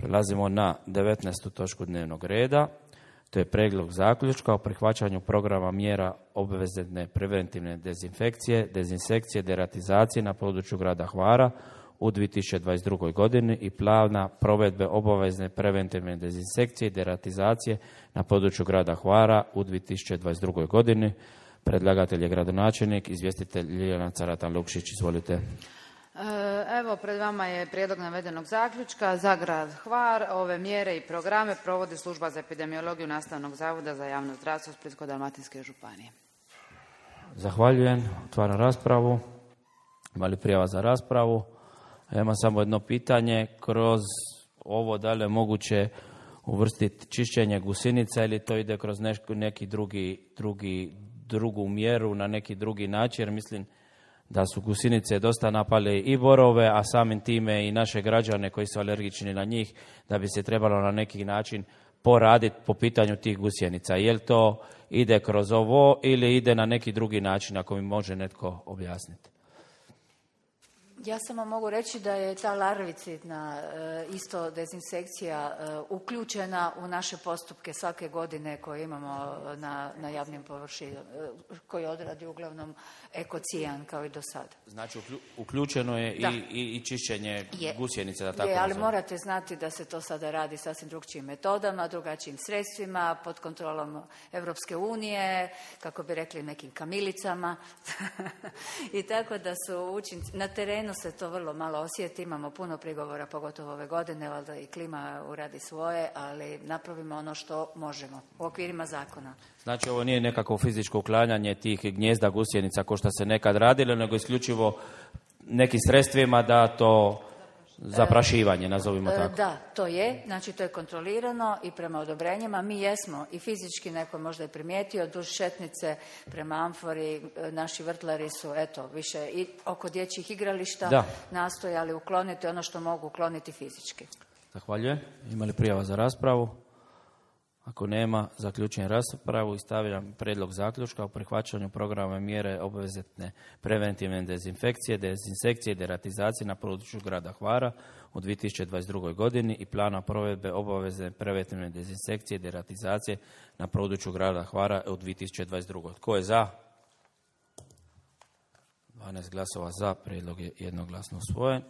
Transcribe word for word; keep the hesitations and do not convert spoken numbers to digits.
Prelazimo na devetnaestu točku dnevnog reda. To je prijedlog zaključka o prihvaćanju programa mjera obvezne preventivne dezinfekcije, dezinsekcije, deratizacije na području grada Hvara u dvije tisuće dvadeset drugoj. godini i plana provedbe obavezne preventivne dezinsekcije i deratizacije na području grada Hvara u dvije tisuće dvadeset drugoj. godini. Predlagatelj je gradonačelnik, izvjestitelj Ljiljana Caratan-Lukšić. Izvolite. Evo, pred vama je prijedlog navedenog zaključka. Za grad Hvar ove mjere i programe provodi Služba za epidemiologiju Nastavnog zavoda za javno zdravstvo Splitsko-dalmatinske županije. Zahvaljujem. Otvaram raspravu. Ima li prijava za raspravu? Ja imam samo jedno pitanje. Kroz ovo da li je moguće uvrstiti čišćenje gusinica ili to ide kroz neki drugi, drugi, drugu mjeru na neki drugi način? Jer mislim da su gusinice dosta napale i borove, a samim time i naše građane koji su alergični na njih, da bi se trebalo na neki način poraditi po pitanju tih gusjenica. Je li to ide kroz ovo ili ide na neki drugi način, ako mi može netko objasniti? Ja samo mogu reći da je ta larvicidna isto dezinsekcija uključena u naše postupke svake godine koje imamo na, na javnim površinama, koji odradi uglavnom ekocijan kao i do sada. Znači uključeno je i, i, i čišćenje je, gusjenice, da tako je, ali nazove. morate znati da se to sada radi sasvim drugčijim metodama, drugačijim sredstvima, pod kontrolom Europske unije, kako bi rekli nekim kamilicama. I tako da su učinci na terenu se to vrlo malo osjeti, imamo puno prigovora, pogotovo ove godine, valjda i klima uradi svoje, ali napravimo ono što možemo u okvirima zakona. Znači ovo nije nekako fizičko uklanjanje tih gnjezda gusjenica ko što se nekad radilo, nego isključivo nekim sredstvima da to zaprašivanje, nazovimo tako. Da, to je, znači to je kontrolirano i prema odobrenjima. Mi jesmo i fizički, neko možda je primijetio, duž šetnice prema Amfori, naši vrtlari su, eto, više i oko dječjih igrališta da. nastojali ukloniti ono što mogu ukloniti fizički. Zahvaljujem. Ima li prijava za raspravu? Ako nema, zaključujem raspravu i stavljam prijedlog zaključka o prihvaćanju programa mjere obvezne preventivne dezinfekcije, dezinsekcije i deratizacije na području grada Hvara u dvije tisuće dvadeset drugoj. godini i plana provedbe obavezne preventivne dezinsekcije i deratizacije na području grada Hvara u dvije tisuće dvadeset drugoj. Tko je za? dvanaest glasova za, prijedlog je jednoglasno usvojen.